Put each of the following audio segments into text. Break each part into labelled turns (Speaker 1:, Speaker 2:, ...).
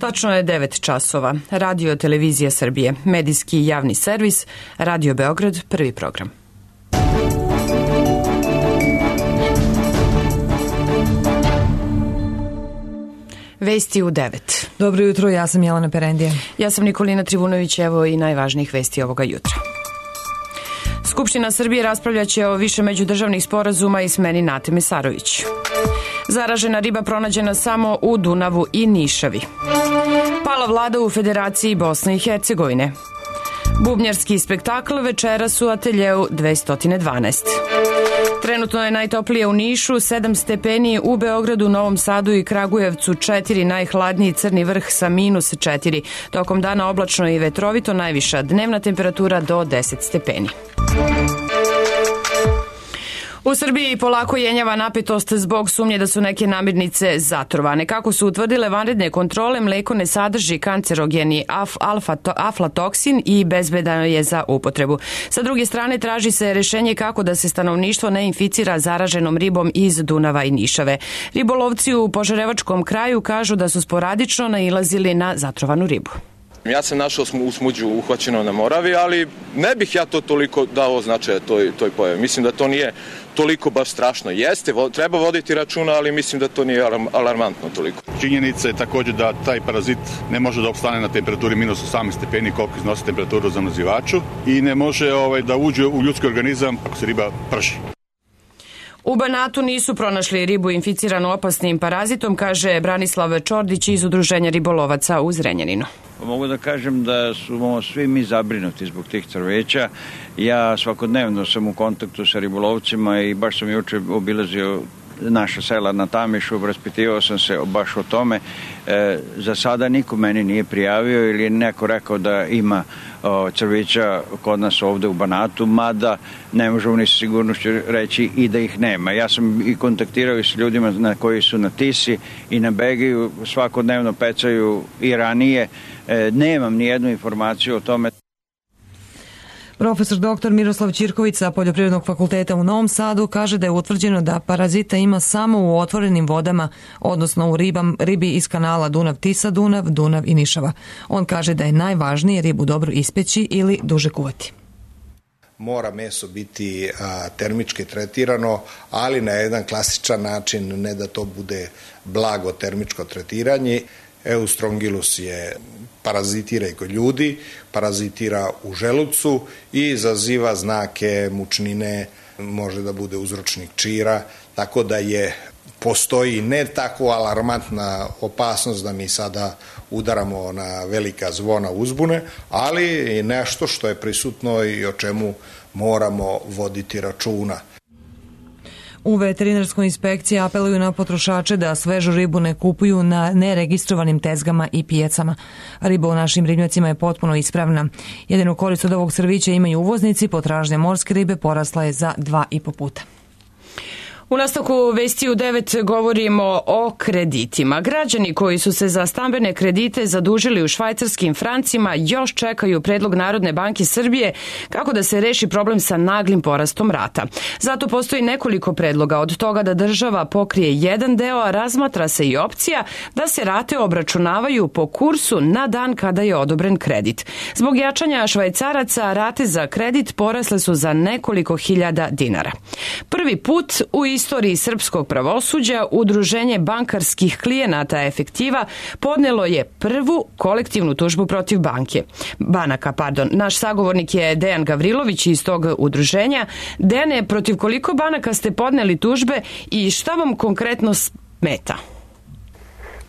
Speaker 1: Tačno je 9 časova. Radio Televizija Srbije, medijski javni servis, Radio Beograd, prvi program. Vesti u 9.
Speaker 2: Dobro jutro, ja sam Jelena Perendija.
Speaker 1: Ja sam Nikolina Trivunović, evo i najvažnijih vesti ovoga jutra. Skupština Srbije raspravljaće o više međudržavnih sporazuma i smeni Nate Mesarović. Zaražena riba pronađena samo u Dunavu i Nišavi. Pala vlada u Federaciji Bosne i Hercegovine. Bubnjarski spektakl večeras u ateljeu 212. Trenutno je najtoplije u Nišu, 7 stepeni, u Beogradu, Novom Sadu i Kragujevcu 4, najhladniji Crni Vrh sa -4. Tokom dana oblačno i vetrovito, najviša dnevna temperatura do 10 stepeni. U Srbiji polako jenjava napetost zbog sumnje da su neke namirnice zatrovane. Kako su utvrdile vanredne kontrole, mleko ne sadrži kancerogeni aflatoksin i bezbedano je za upotrebu. Sa druge strane, traži se rešenje kako da se stanovništvo ne inficira zaraženom ribom iz Dunava i Nišave. Ribolovci u Požarevačkom kraju kažu da su sporadično nailazili na zatrovanu ribu.
Speaker 3: Ja sam našao u smuđu uhvaćeno na Moravi, ali ne bih ja to toliko dao značaja toj pojavi. Mislim da to nije toliko baš strašno. Jeste, treba voditi računa, ali mislim da to nije alarmantno toliko.
Speaker 4: Činjenica je također da taj parazit ne može da opstane na temperaturi -18 stepeni koliko iznosi temperaturu za zamrzivaču i ne može da uđe u ljudski organizam ako se riba prži.
Speaker 1: U Banatu nisu pronašli ribu inficiranu opasnim parazitom, kaže Branislav Čordić iz Udruženja ribolovaca u Zrenjaninu.
Speaker 5: Mogu da kažem da su svi mi zabrinuti zbog tih crveća. Ja svakodnevno sam u kontaktu sa ribolovcima i baš sam juče obilazio naša sela na Tamišu, raspitivao sam se baš o tome. Za sada niko meni nije prijavio ili je neko rekao da ima crveća kod nas ovde u Banatu, mada ne možemo ni sa sigurnošću reći i da ih nema. Ja sam i kontaktirao i s ljudima koji su na Tisi i na Begiju, svakodnevno pecaju i ranije. Nemam ni jednu informaciju o tome.
Speaker 2: Profesor dr. Miroslav Ćirković sa Poljoprivrednog fakulteta u Novom Sadu kaže da je utvrđeno da parazita ima samo u otvorenim vodama, odnosno u ribi iz kanala Dunav-Tisa-Dunav, Dunav i Nišava. On kaže da je najvažnije ribu dobro ispeći ili duže kuvati.
Speaker 6: Mora meso biti termički tretirano, ali na jedan klasičan način, ne da to bude blago termičko tretiranje. Eustrongylus parazitira i kod ljudi, parazitira u želucu i izaziva znake mučnine, može da bude uzročnik čira, tako da postoji ne tako alarmantna opasnost da mi sada udaramo na velika zvona uzbune, ali i nešto što je prisutno i o čemu moramo voditi računa.
Speaker 2: U veterinarskoj inspekciji apeluju na potrošače da svežu ribu ne kupuju na neregistrovanim tezgama i pijacama. Riba u našim ribnjacima je potpuno ispravna. Jedinu korist od ovog crvića imaju uvoznici, potražnja morske ribe porasla je za 2,5 puta.
Speaker 1: U nastavku vesti u 9 govorimo o kreditima. Građani koji su se za stambene kredite zadužili u švajcarskim francima još čekaju predlog Narodne banke Srbije kako da se reši problem sa naglim porastom rata. Zato postoji nekoliko predloga, od toga da država pokrije jedan deo, a razmatra se i opcija da se rate obračunavaju po kursu na dan kada je odobren kredit. Zbog jačanja švajcaraca rate za kredit porasle su za nekoliko hiljada dinara. Prvi put u istoriji srpskog pravosuđa Udruženje bankarskih klijenata Efektiva podnelo je prvu kolektivnu tužbu protiv banaka. Naš sagovornik je Dejan Gavrilović iz tog udruženja. Dejane, protiv koliko banaka ste podneli tužbe i šta vam konkretno smeta?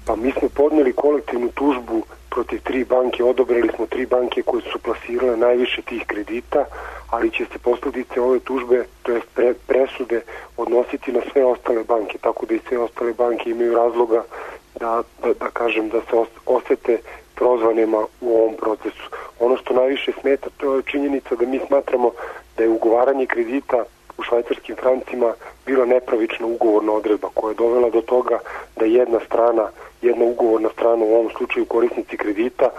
Speaker 7: Pa mi smo podneli kolektivnu tužbu protiv 3 banke, odobrili smo 3 banke koje su plasirale najviše tih kredita, ali će se posledice ove tužbe, to je presude, odnositi na sve ostale banke, tako da i sve ostale banke imaju razloga da kažem da se osete prozvanima u ovom procesu. Ono što najviše smeta, to je činjenica da mi smatramo da je ugovaranje kredita u švajcarskim francima bila nepravična ugovorna odredba koja je dovela do toga da jedna ugovorna strana, u ovom slučaju korisnici kredita,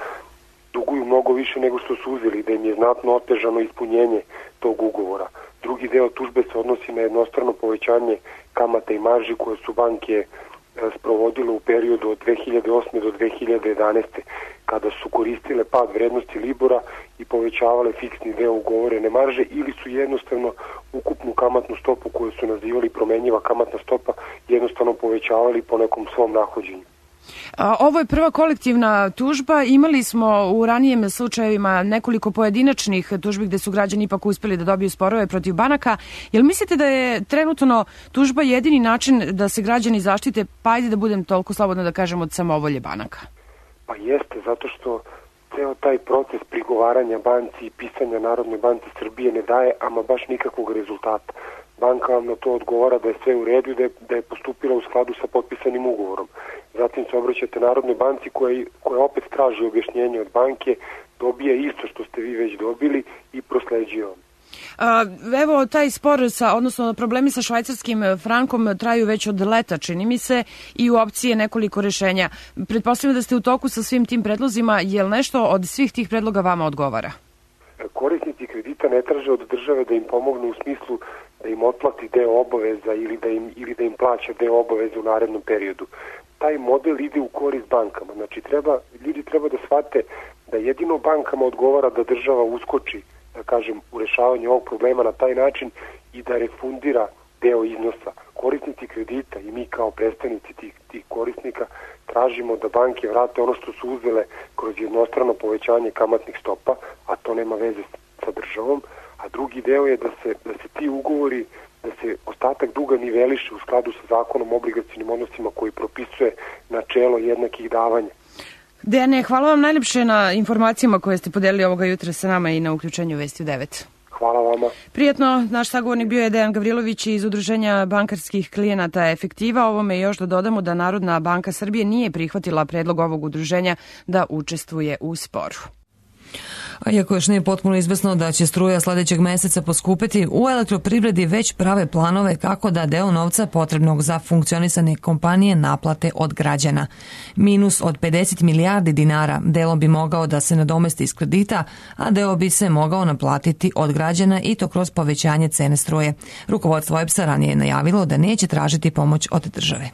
Speaker 7: duguju mnogo više nego što su uzeli, da im je znatno otežano ispunjenje tog ugovora. Drugi deo tužbe se odnosi na jednostrano povećanje kamata i marži koje su banke sprovodilo u periodu od 2008. do 2011. kada su koristile pad vrednosti Libora i povećavale fiksni deo ugovorene marže ili su jednostavno ukupnu kamatnu stopu koju su nazivali promenjiva kamatna stopa jednostavno povećavali po nekom svom nahođenju.
Speaker 1: Ovo je prva kolektivna tužba. Imali smo u ranijim slučajevima nekoliko pojedinačnih tužbi gde su građani ipak uspeli da dobiju sporove protiv banaka. Jel mislite da je trenutno tužba jedini način da se građani zaštite, pa ajde da budem toliko slobodno da kažem, od samovolje banaka?
Speaker 7: Pa jeste, zato što ceo taj proces prigovaranja banci i pisanja Narodnoj banci Srbije ne daje ama baš nikakvog rezultata. Banka vam na to odgovara da je sve u redu i da je postupila u skladu sa potpisanim ugovorom. Zatim se obraćate Narodnoj banci koja opet traži objašnjenje od banke, dobije isto što ste vi već dobili i prosleđuje vam.
Speaker 1: Evo, taj spor, odnosno problemi sa švajcarskim frankom traju već od leta, čini mi se, i u opciji je nekoliko rešenja. Pretpostavljam da ste u toku sa svim tim predlozima. Je li nešto od svih tih predloga vama odgovara?
Speaker 7: Korisnici kredita ne traže od države da im pomognu u smislu da im otplati deo obaveza ili da im plaća deo obaveza u narednom periodu. Taj model ide u korist bankama. Znači, ljudi treba da shvate da jedino bankama odgovara da država uskoči, da kažem, u rešavanju ovog problema na taj način i da refundira deo iznosa. Korisnici kredita i mi kao predstavnici tih korisnika tražimo da banke vrate ono što su uzele kroz jednostrano povećanje kamatnih stopa, a to nema veze sa državom, a drugi deo je da se ti ugovori, da se ostatak duga niveliše u skladu sa zakonom o obligacionim odnosima koji propisuje načelo jednakih davanja.
Speaker 1: Dejane, hvala vam najlepše na informacijama koje ste podelili ovoga jutra sa nama i na uključenju Vesti u 9.
Speaker 7: Hvala vama.
Speaker 1: Prijetno, naš sagovornik bio je Dejan Gavrilović iz Udruženja bankarskih klijenata Efektiva. Ovome još da dodamo da Narodna banka Srbije nije prihvatila predlog ovog udruženja da učestvuje u sporu.
Speaker 2: A iako još nije potpuno izvesno da će struja sledećeg meseca poskupiti, u elektroprivredi već prave planove kako da deo novca potrebnog za funkcionisanje kompanije naplate od građana. Minus od 50 milijardi dinara delom bi mogao da se nadomesti iz kredita, a deo bi se mogao naplatiti od građana i to kroz povećanje cene struje. Rukovodstvo EPS-a ranije je najavilo da neće tražiti pomoć od države.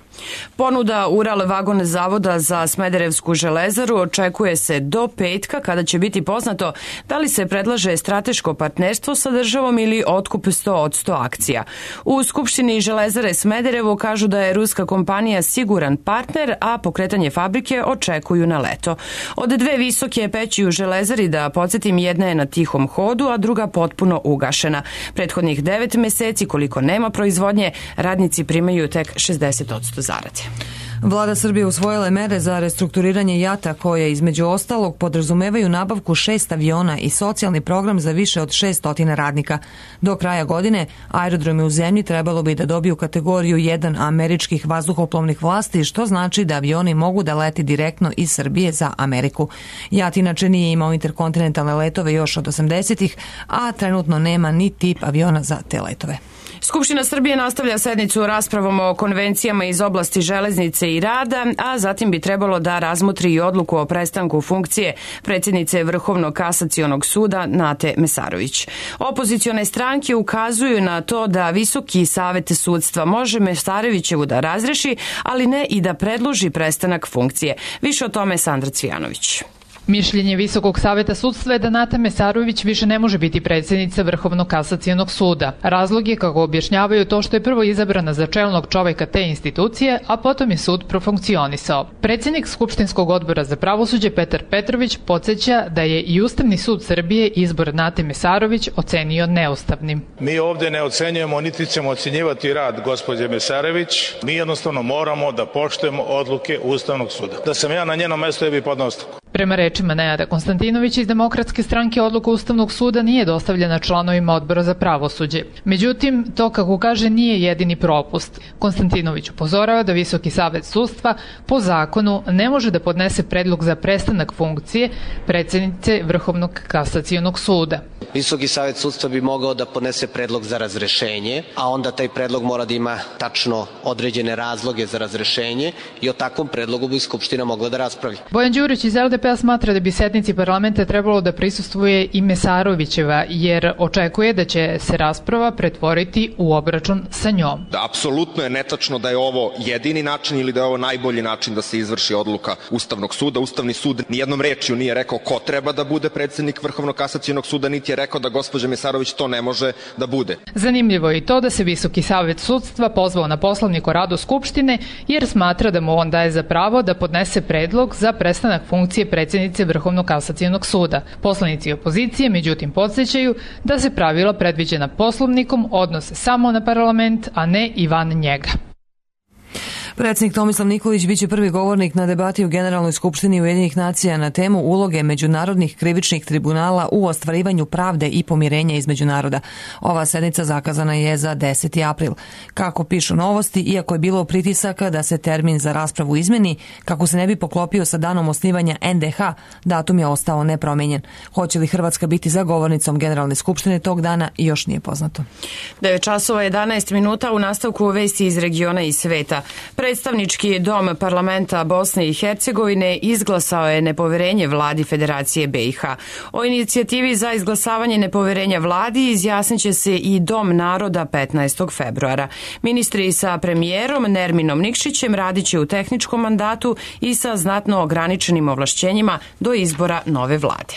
Speaker 1: Ponuda Ural vagon zavoda za Smederevsku železaru očekuje se do petka, kada će biti poznato da li se predlaže strateško partnerstvo sa državom ili otkup 100% akcija. U Skupštini Železare Smederevo kažu da je ruska kompanija siguran partner, a pokretanje fabrike očekuju na leto. Od dve visoke peći u Železari, da podsjetim, jedna je na tihom hodu, a druga potpuno ugašena. Prethodnih 9 meseci, koliko nema proizvodnje, radnici primaju tek 60% zarade.
Speaker 2: Vlada Srbije usvojila je mere za restrukturiranje JAT-a koje između ostalog podrazumevaju nabavku 6 aviona i socijalni program za više od 600 radnika. Do kraja godine aerodromi u zemlji trebalo bi da dobiju kategoriju 1 američkih vazduhoplovnih vlasti, što znači da avioni mogu da leti direktno iz Srbije za Ameriku. JAT inače nije imao interkontinentalne letove još od 80-ih, a trenutno nema ni tip aviona za te letove.
Speaker 1: Skupština Srbije nastavlja sednicu raspravom o konvencijama iz oblasti železnice i rada, a zatim bi trebalo da razmotri i odluku o prestanku funkcije predsjednice Vrhovnog kasacionog suda Nate Mesarović. Opozicione stranke ukazuju na to da Visoki savet sudstva može Mesarovićevu da razreši, ali ne i da predloži prestanak funkcije. Više o tome Sandra Cvijanović.
Speaker 8: Mišljenje Visokog saveta sudstva je da Nata Mesarović više ne može biti predsjednica Vrhovnog kasacionog suda. Razlog je, kako objašnjavaju, to što je prvo izabrana za čelnog čoveka te institucije, a potom je sud profunkcionisao. Predsjednik Skupštinskog odbora za pravosuđe Petar Petrović podsjeća da je i Ustavni sud Srbije izbor Nate Mesarović ocenio neustavnim.
Speaker 9: Mi ovde ne ocenjujemo, niti ćemo ocenjivati rad gospođe Mesarović. Mi jednostavno moramo da poštujemo odluke Ustavnog suda. Da sam ja na njenom mestu, ja bih podneo ostavku.
Speaker 8: Prema rečima Nenada Konstantinovića iz Demokratske stranke, odluka Ustavnog suda nije dostavljena članovima odbora za pravosuđe. Međutim, to, kako kaže, nije jedini propust. Konstantinović upozorava da Visoki savet sudstva po zakonu ne može da podnese predlog za prestanak funkcije predsjednice Vrhovnog kasacionog suda.
Speaker 10: Visoki savet sudstva bi mogao da podnese predlog za razrešenje, a onda taj predlog mora da ima tačno određene razloge za razrešenje i o takvom predlogu bi Skupština mogla da raspravi.
Speaker 8: Bojan Đurić iz LDP-a smatra da bi sednici parlamenta trebalo da prisustvuje i Mesarovićeva, jer očekuje da će se rasprava pretvoriti u obračun sa njom.
Speaker 11: Apsolutno je netačno da je ovo jedini način ili da je ovo najbolji način da se izvrši odluka Ustavnog suda. Ustavni sud nijednom rečju nije rekao ko treba da bude predsednik Vrhovnog kasacionog suda, niti je rekao da gospođa Mesarović to ne može da bude.
Speaker 8: Zanimljivo je i to da se Visoki savet sudstva pozvao na Poslovnik o radu Skupštine, jer smatra da mu on daje za pravo da podnese predlog za prestanak funkcije predsednice Vrhovnog kasacionog suda. Poslanici opozicije, međutim, podsjećaju da se pravila predviđena Poslovnikom odnose samo na parlament, a ne i van njega.
Speaker 2: Predsjednik Tomislav Nikolić biće prvi govornik na debati u Generalnoj skupštini Ujedinjenih nacija na temu uloge međunarodnih krivičnih tribunala u ostvarivanju pravde i pomirenja između naroda. Ova sednica zakazana je za 10. april. Kako pišu Novosti, iako je bilo pritisaka da se termin za raspravu izmeni, kako se ne bi poklopio sa danom osnivanja NDH, datum je ostao nepromenjen. Hoće li Hrvatska biti za govornicom Generalne skupštine tog dana još nije poznato.
Speaker 1: 9 časova 11 minuta u nastavku vesti iz regiona i sveta. Predstavnički dom parlamenta Bosne i Hercegovine izglasao je nepoverenje vladi Federacije BiH. O inicijativi za izglasavanje nepoverenja vladi izjasnit će se i Dom naroda 15. februara. Ministri sa premijerom Nerminom Nikšićem radit će u tehničkom mandatu i sa znatno ograničenim ovlašćenjima do izbora nove vlade.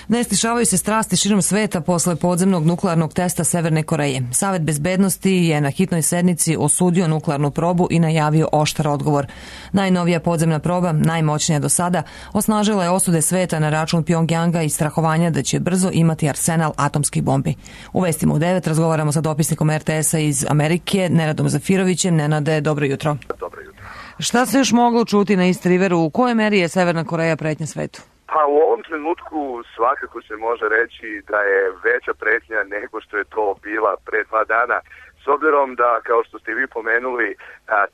Speaker 2: Ne stišavaju se strasti širom sveta posle podzemnog nuklearnog testa Severne Koreje. Savet bezbednosti je na hitnoj sednici osudio nuklearnu probu i najavio oštar odgovor. Najnovija podzemna proba, najmoćnija do sada, osnažila je osude sveta na račun Pjongjanga i strahovanja da će brzo imati arsenal atomskih bombi. U vestima u 9 razgovaramo sa dopisnikom RTS-a iz Amerike, Nenadom Zafirovićem. Nenade, dobro jutro.
Speaker 12: Dobro jutro.
Speaker 2: Šta se još moglo čuti na East Riveru? U kojoj meri je Severna Koreja pretnja svetu?
Speaker 12: Pa u ovom trenutku svakako se može reći da je veća pretnja nego što je to bila pre 2 dana. S obzirom da, kao što ste vi pomenuli,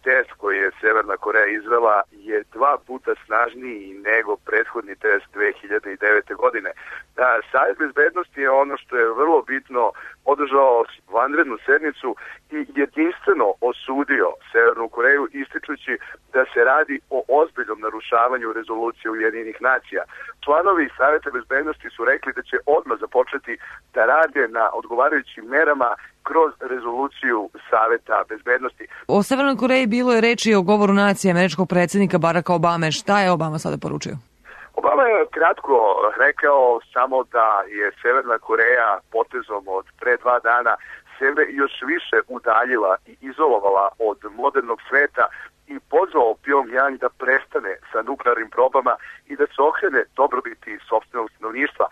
Speaker 12: test koji je Severna Koreja izvela je 2 puta snažniji nego prethodni test 2009. godine. Savet bezbednosti je ono što je vrlo bitno održao vanrednu sednicu i jedinstveno osudio Severnu Koreju, ističući da se radi o ozbiljnom narušavanju rezolucije Ujedinjenih nacija. Članovi Saveta bezbednosti su rekli da će odmah započeti da rade na odgovarajućim merama kroz rezoluciju Saveta bezbednosti.
Speaker 2: O Severnoj Koreji bilo je reči o govoru nacije američkog predsjednika Baracka Obame. Šta je Obama sada poručio?
Speaker 12: Obama je kratko rekao samo da je Severna Koreja potezom od pre 2 dana sebe još više udaljila i izolovala od modernog sveta i pozvao Pjongjang da prestane sa nuklearnim probama i da se okrene dobrobiti sopstvenog stanovništva.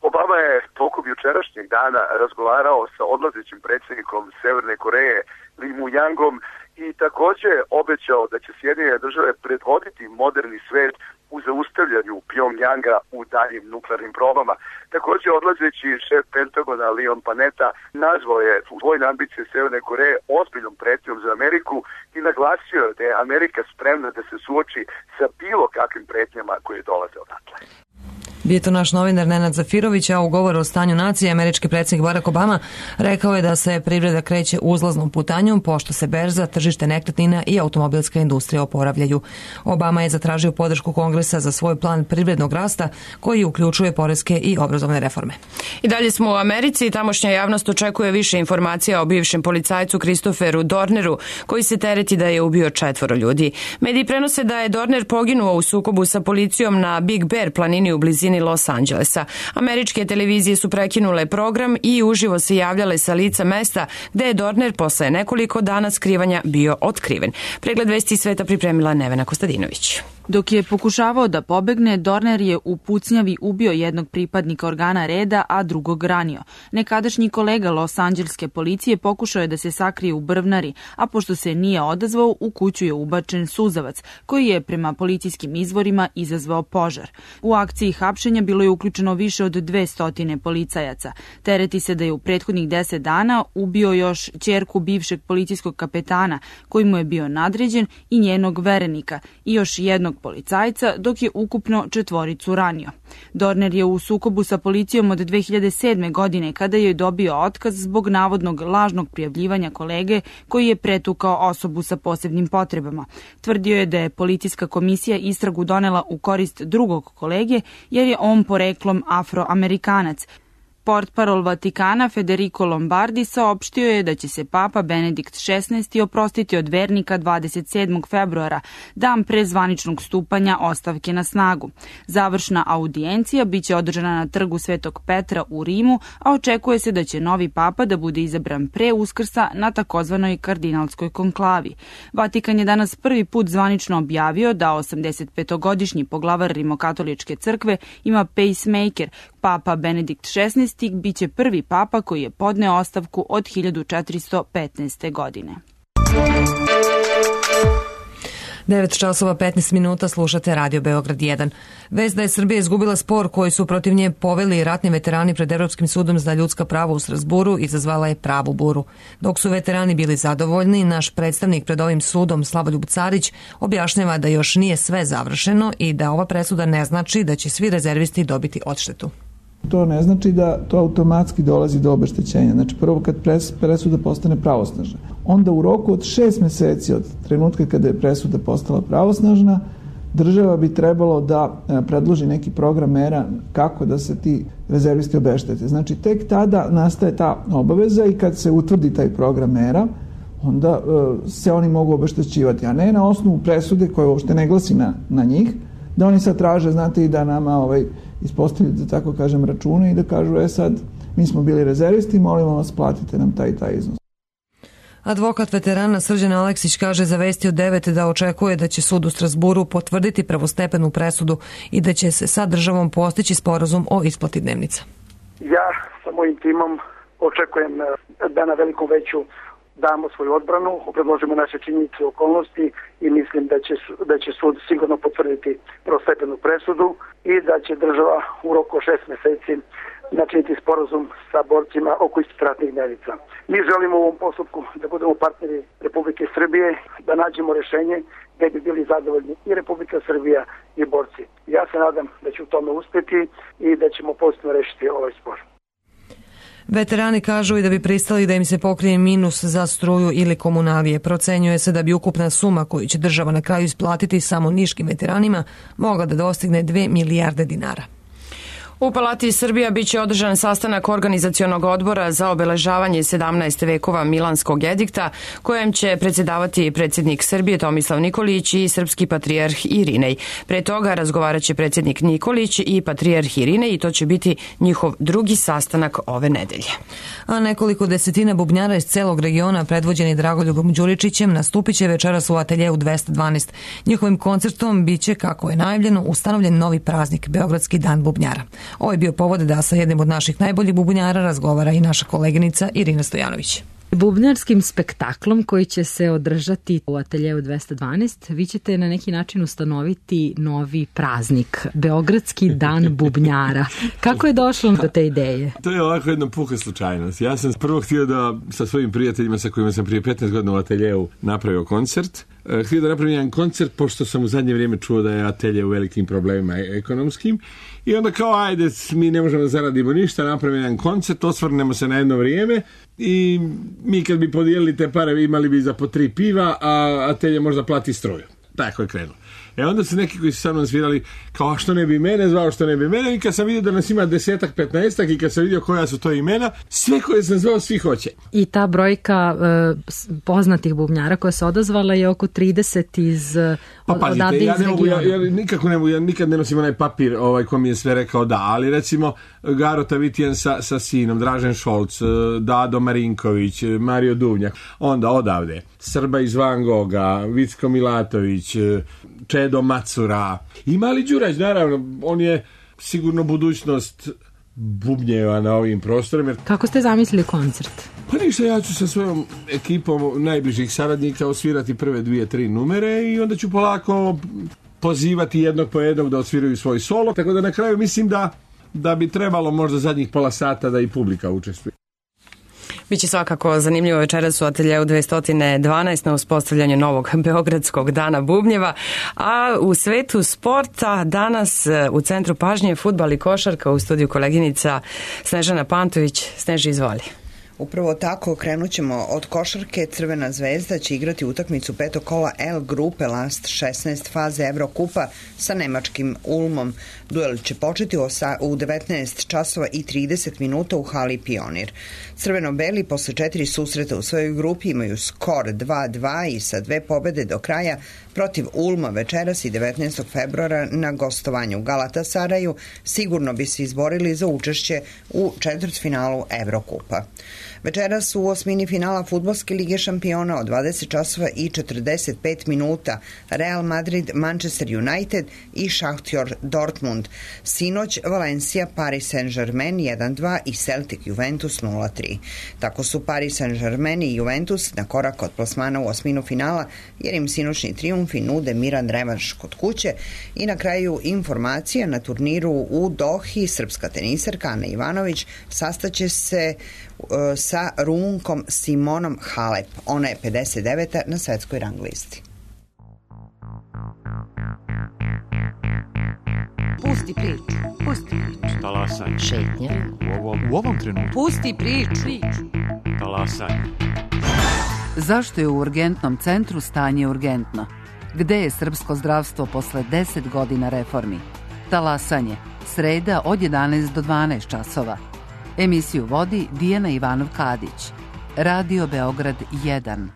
Speaker 12: Obama je tokom jučerašnjeg dana razgovarao sa odlazećim predsjednikom Severne Koreje Lee Myung-om i također obećao da će Sjedinjene države predvoditi moderni svet u zaustavljanju Pjongjanga u daljim nuklearnim probama. Također odlazeći šef Pentagona Leon Panetta nazvao je vojne ambicije Severne Koreje ozbiljnom pretnjom za Ameriku i naglasio da je Amerika spremna da se suoči sa bilo kakvim pretnjama koje dolaze odatle.
Speaker 2: Bio to naš novinar Nenad Zafirović, a u govoru o stanju nacije američki predsjednik Barack Obama rekao je da se privreda kreće uzlaznom putanjom pošto se berza, tržište nekretnina i automobilska industrija oporavljaju. Obama je zatražio podršku Kongresa za svoj plan privrednog rasta koji uključuje poreske i obrazovne reforme.
Speaker 1: I dalje smo u Americi i tamošnja javnost očekuje više informacija o bivšem policajcu Christopheru Dorneru koji se tereti da je ubio 4 ljudi. Mediji prenose da je Dorner poginuo u sukobu sa policijom na Big Bear planini u blizini Los Angelesa. Američke televizije su prekinule program i uživo se javljale sa lica mesta gde je Dorner posle nekoliko dana skrivanja bio otkriven. Pregled vesti sveta pripremila Nevena Kostadinović.
Speaker 13: Dok je pokušavao da pobegne, Dorner je u pucnjavi ubio jednog pripadnika organa reda, a drugog ranio. Nekadašnji kolega Los Anđelske policije pokušao je da se sakrije u brvnari, a pošto se nije odazvao, u kuću je ubačen suzavac, koji je prema policijskim izvorima izazvao požar. U akciji hapšenja bilo je uključeno više od 200 policajaca. Tereti se da je u prethodnih 10 dana ubio još ćerku bivšeg policijskog kapetana, koji mu je bio nadređen, i njenog verenika, i još jednog jednog policajca, dok je ukupno 4 ranio. Dorner je u sukobu sa policijom od 2007. godine kada je dobio otkaz zbog navodnog lažnog prijavljivanja kolege koji je pretukao osobu sa posebnim potrebama. Tvrdio je da je policijska komisija istragu donela u korist drugog kolege jer je on poreklom Afroamerikanac. Portparol Vatikana Federico Lombardi saopštio je da će se Papa Benedikt XVI oprostiti od vernika 27. februara, dan pre zvaničnog stupanja ostavke na snagu. Završna audijencija biće održana na trgu Svetog Petra u Rimu, a očekuje se da će novi Papa da bude izabran pre Uskrsa na takozvanoj kardinalskoj konklavi. Vatikan je danas prvi put zvanično objavio da 85-godišnji poglavar Rimokatoličke crkve ima pacemaker. Papa Benedikt XVI biće prvi papa koji je podneo ostavku od 1415. godine.
Speaker 2: 9 časova 15 minuta, slušate Radio Beograd 1. Vest da je Srbija izgubila spor koji su protiv nje poveli ratni veterani pred Evropskim sudom za ljudska prava u Strazburu izazvala je pravu buru. Dok su veterani bili zadovoljni, naš predstavnik pred ovim sudom Slavoljub Carić objašnjava da još nije sve završeno i da ova presuda ne znači da će svi rezervisti dobiti odštetu.
Speaker 14: To ne znači da to automatski dolazi do obeštećenja. Znači prvo kad presuda postane pravosnažna, onda u roku od 6 meseci od trenutka kada je presuda postala pravosnažna, država bi trebalo da predloži neki program mera kako da se ti rezervisti obeštete. Znači tek tada nastaje ta obaveza i kad se utvrdi taj program mera, onda se oni mogu obeštećivati, a ne na osnovu presude koja uopšte ne glasi na njih, da oni sad traže, znate, i da nama ispostavljaju, da tako kažem, račune i da kažu, sad, mi smo bili rezervisti, molimo vas, platite nam taj iznos.
Speaker 2: Advokat veterana Srđan Aleksić kaže za Vesti od 9 da očekuje da će sud u Strazburu potvrditi prvostepenu presudu i da će se sa državom postići sporazum o isplati dnevnica.
Speaker 15: Ja sa mojim timom očekujem da na velikom veću damo svoju odbranu, predložimo naše činjenice i okolnosti i mislim da će sud sigurno potvrditi prvostepenu presudu i da će država u roku 6 meseci načiniti sporazum sa borcima oko isplate ratnih dnevnica. Mi želimo u ovom postupku da budemo partneri Republike Srbije, da nađemo rešenje gde bi bili zadovoljni i Republika Srbija i borci. Ja se nadam da će u tome uspeti i da ćemo pozitivno rešiti ovaj spor.
Speaker 2: Veterani kažu i da bi pristali da im se pokrije minus za struju ili komunalije. Procenjuje se da bi ukupna suma koju će država na kraju isplatiti samo niškim veteranima mogla da dostigne 2 milijarde dinara.
Speaker 1: U Palati Srbija biće održan sastanak organizacionog odbora za obeležavanje 17. vekova Milanskog edikta, kojem će predsjedavati predsjednik Srbije Tomislav Nikolić i srpski patrijarh Irinej. Pre toga razgovarat će predsjednik Nikolić i patrijarh Irinej i to će biti njihov drugi sastanak ove nedelje.
Speaker 2: A nekoliko desetina bubnjara iz celog regiona predvođeni Dragoljubom Đuričićem nastupit će večeras u ateljeu 212. Njihovim koncertom biće, kako je najavljeno, ustanovljen novi praznik Beogradski dan bubnjara. Ovo je bio povod da sa jednim od naših najboljih bubnjara razgovara i naša koleginica Irina Stojanović.
Speaker 16: Bubnjarskim spektaklom koji će se održati u ateljeu 212, vi ćete na neki način ustanoviti novi praznik, Beogradski dan bubnjara. Kako je došlo do te ideje?
Speaker 17: To je ovako jedna puka slučajnost. Ja sam prvo htio da sa svojim prijateljima sa kojima sam prije 15 godina u ateljeu napravio koncert. Htio da napravim jedan koncert, pošto sam u zadnje vrijeme čuo da je atelje u velikim problemima ekonomskim. I onda kao, ajde, mi ne možemo da zaradimo ništa, napravimo jedan koncert, osvrnemo se na jedno vrijeme i mi kad bi podijelili te pare imali bi za po 3 piva, a atelje možda plati struju. Tako je krenulo. Onda su neki koji su sa mnom svirali kao, a što ne bi mene zvao, što ne bi mene, i kad sam vidio da nas ima 10-ak, 15-ak i kad sam vidio koja su to imena, sve koje sam zvao, svi hoće.
Speaker 16: I ta brojka poznatih bubnjara koja se odazvala je oko 30 iz odavde iz regiona.
Speaker 17: Ja nikako ne mogu, ja nikad ne nosim onaj papir ko mi je sve rekao da, ali recimo Garo Tavitijan sa sinom, Dražen Šolc, Dado Marinković, Mario Duvnjak, onda odavde Srba iz Van Goga, Vicko Milatović, Čedo Macura i Mali Đurać, naravno, on je sigurno budućnost bubnjeva na ovim prostorima.
Speaker 16: Kako ste zamislili koncert?
Speaker 17: Pa ništa, ja ću sa svojom ekipom najbližih saradnika osvirati prve 2-3 numere i onda ću polako pozivati jednog po jednog da osviraju svoj solo, tako da na kraju mislim da bi trebalo možda zadnjih pola sata da i publika učestvuje.
Speaker 1: Biće svakako zanimljivo večeras u ateljeu 212 na uspostavljanju novog Beogradskog dana bubnjeva, a u svetu sporta danas u centru pažnje fudbal i košarka, u studiju koleginica Snežana Pantović. Sneži, izvoli.
Speaker 18: Upravo tako, krenut ćemo od košarke. Crvena zvezda će igrati utakmicu petog kola L grupe Last 16 faze Evrokupa sa nemačkim Ulmom. Duel će početi u 19 časova i 30 minuta u hali Pionir. Crveno-beli posle 4 susreta u svojoj grupi imaju skor 2-2 i sa 2 pobede do kraja protiv Ulma večeras i 19. februara na gostovanju u Galatasaraju sigurno bi se izborili za učešće u četvrtfinalu Evrokupa. Večeras u osmini finala Fudbalske lige šampiona od 20 časova i 45 minuta Real Madrid, Manchester United i Šahtjor Dortmund. Sinoć Valencia, Paris Saint-Germain 1-2 i Celtic Juventus 0-3. Tako su Paris Saint-Germain i Juventus na korak od plasmana u osminu finala, jer im sinoćni trijumfi nude miran revanš kod kuće. I na kraju informacija, na turniru u Dohi srpska tenisarka Ana Ivanović sastaće se sa Rumunkom Simonom Halep. Ona je 59. na svetskoj rang listi.
Speaker 19: Pusti priču. Pusti priču.
Speaker 20: Talasanje.
Speaker 19: Šetnja.
Speaker 20: U ovom trenutku.
Speaker 19: Pusti priču.
Speaker 20: Talasanje.
Speaker 19: Zašto je u urgentnom centru stanje urgentno? Gde je srpsko zdravstvo posle 10 godina reformi? Talasanje. Sreda od 11 do 12 časova. Emisiju vodi Dijana Ivanov-Kadić. Radio Beograd 1.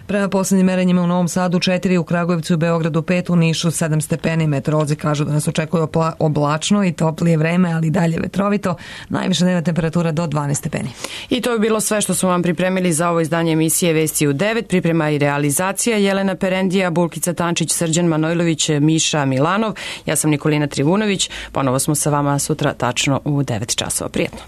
Speaker 2: Prema poslednjim merenjima u Novom Sadu 4, u Kragujevcu i Beogradu 5, u Nišu 7 stepeni. Meteorolozi kažu da nas očekuje oblačno i toplije vreme, ali dalje vetrovito. Najviša dnevna temperatura do 12 stepeni.
Speaker 1: I to je bilo sve što smo vam pripremili za ovo izdanje emisije Vesti u 9. Priprema i realizacija Jelena Perendija, Bulkica Tančić, Srđan Manojlović, Miša Milanov. Ja sam Nikolina Trivunović. Ponovo smo sa vama sutra tačno u 9 časova. Prijetno.